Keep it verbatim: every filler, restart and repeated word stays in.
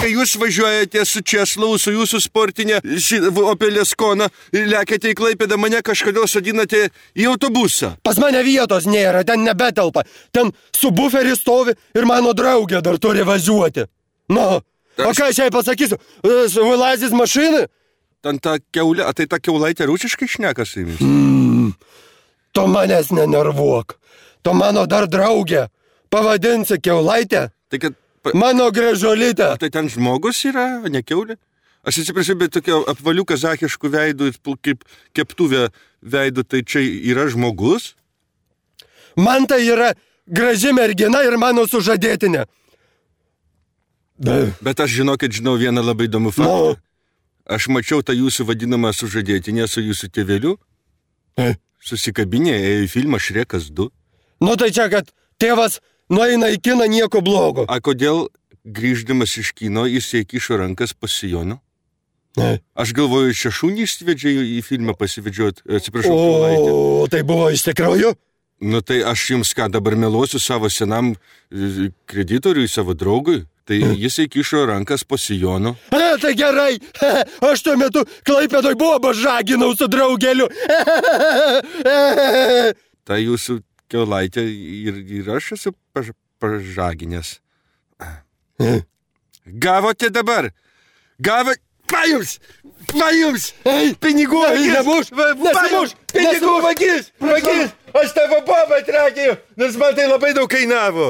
kai jūs važiuojate su Česlau, su jūsų sportinė Opel Ascona ir lekiate į Klaipėdą, mane kažkodėl sodinate į autobusą. Pas mane vietos nėra, ten nebetelpa. Ten su buferi stovi ir mano draugė dar turi važiuoti. Nu, o ką aš jai pasakysiu? Vylazis mašinai? Ten ta keulė, a tai ta keulaitė rusiškai šneka su jumis? Mm, tu manęs nenervuok. Tu mano dar draugė. Pavadinsi keulaitę? Tai kad... Pa... Mano gražuolytė. A tai ten žmogus yra, ne keulė? Aš atsiprašau, bet tokio apvalių kazachiškų veidų, kaip keptuvė veidų, tai čia yra žmogus? Man tai yra graži mergina ir mano sužadėtinė. Bet aš žinau, kad žinau vieną labai įdomų faktą. No. Aš mačiau tą jūsų vadinamą sužadėtinę su jūsų tėveliu. E? Susikabinė, ėjo į filmą Šrekas du. Nu tai čia, kad tėvas nueina į kiną nieko blogo. A kodėl grįždamas iš kino jis įkišo rankas pas sijoną? E? Aš galvoju, čia šunį išsivedžė į filmą pasivedžiot, atsiprašau, o, keulaitę. O tai buvo iš tikrųjų? Nu tai aš jums ką dabar meluosiu savo senam kreditoriui, savo draugui. Tai jis įkišo rankas po sijonu. A, tai gerai. Aš tuo metu Klaipėdoj bobą žaginau su draugeliu. Tai jūsų keulaitė ir, ir aš esu paž, pažaginęs. Gavote dabar? Gavote? Va jums! Va jums! Pinigų vagis! Nemuš! Nesimuš! Pinigų vagis! Vagis! Aš tavo bobą atrakėjau, nes man tai labai daug kainavo.